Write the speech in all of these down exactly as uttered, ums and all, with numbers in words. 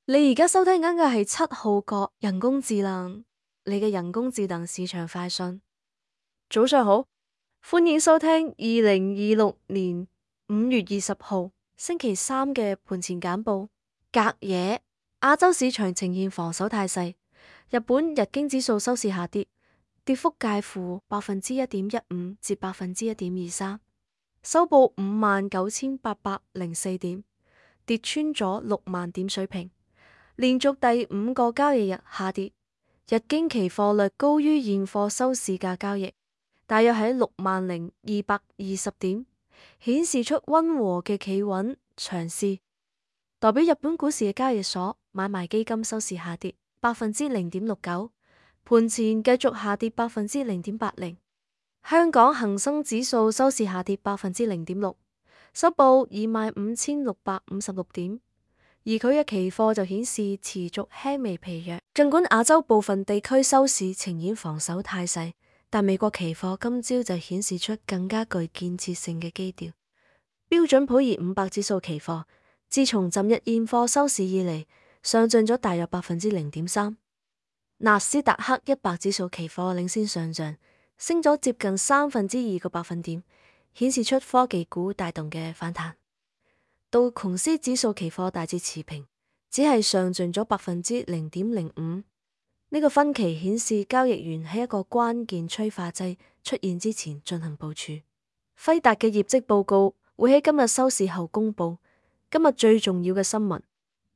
你而家收聽緊嘅係七號角人工智能，你嘅人工智能市場快訊。早上好，歡迎收聽二零二六年五月二十號星期三嘅盤前簡報。隔夜，亞洲市場呈現防守態勢，日本日經指數收市下跌，跌幅介乎百分之一點一五至百分之一點二三，收報五萬九千八百零四點，跌穿咗六萬點水平。連續第五個交易日下跌，日經期貨略高於現貨收市價交易，大約喺六萬零二百二十點，顯示出溫和嘅企穩長勢。代表日本股市嘅交易所買賣基金收市下跌百分之零點六九，盤前繼續下跌百分之零點八零。香港恒生指數收市下跌百分之零點六，收報二萬五千六百五十六點。而佢嘅期貨就顯示持續輕微疲弱，儘管亞洲部分地區收市呈現防守態勢，但美國期貨今朝就顯示出更加具建設性嘅基調。標準普爾五百指數期貨自從昨日現貨收市以嚟，上漲咗大約百分之零點三。納斯達克一百指數期貨領先上漲，升咗接近三分之二個百分點，顯示出科技股帶動嘅反彈。道瓊斯指數期貨大致持平，只係上漲咗百分之零點零五。呢個分歧顯示交易員喺一個關鍵催化劑出現之前進行部署。輝達嘅業績報告會喺今日收市後公佈。今日最重要嘅新聞，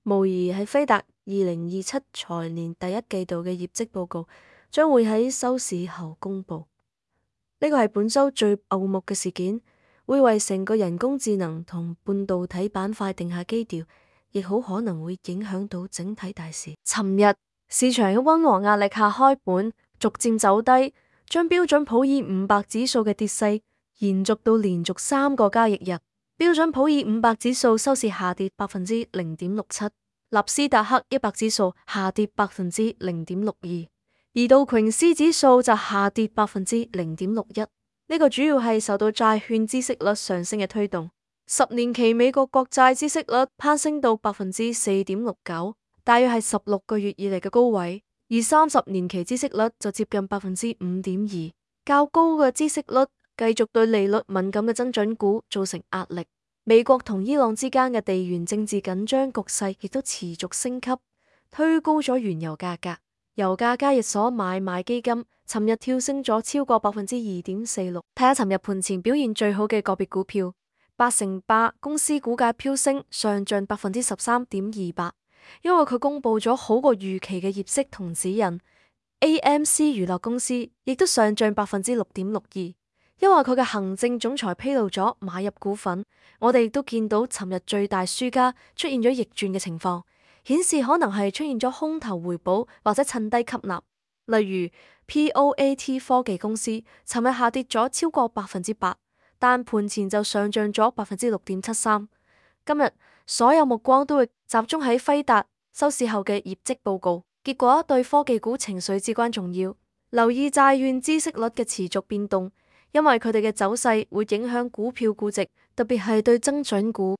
無疑係輝達二零二七財年第一季度嘅業績報告將會喺收市後公佈。呢個係本週最矚目嘅事件。會為成個人工智能同半導體板塊定下基調，亦好可能會影響到整體大市。尋日市場喺溫和壓力下開盤，逐漸走低，將標準普爾五百指數嘅跌勢延續到連續三個交易日。標準普爾五百指數收市下跌百分之零點六七，納斯達克一百指數下跌百分之零點六二，而道瓊斯指數就下跌百分之零點六一。呢個主要係受到債券孳息率上升嘅推動，十年期美國國債孳息率攀升到百分之四點六九，大約係十六個月以嚟嘅高位，而三十年期孳息率就接近百分之五點二，較高嘅孳息率繼續對利率敏感嘅增長股造成壓力。美國同伊朗之間嘅地緣政治緊張局勢亦都持續升級，推高咗原油價格。油價交易所買賣基金尋日跳升咗超過百分之二點四六。睇下尋日盤前表現最好嘅個別股票，八成八公司股價飆升，上漲百分之十三點二八，因為佢公布咗好過預期嘅業績同指引。A M C 娛樂公司亦都上漲百分之六點六二，因為佢嘅行政總裁披露咗買入股份。我哋亦都見到尋日最大輸家出現咗逆轉嘅情況，顯示可能係出現咗空頭回補或者趁低吸納。例如 P O A T 科技公司尋日下跌咗超過百分之八，但盤前就上漲咗百分之六點七三。今日所有目光都會集中喺輝達收市後嘅業績報告，結果對科技股情緒至關重要。留意債券孳息率嘅持續變動，因為佢哋嘅走勢會影響股票估值，特別係對增長股。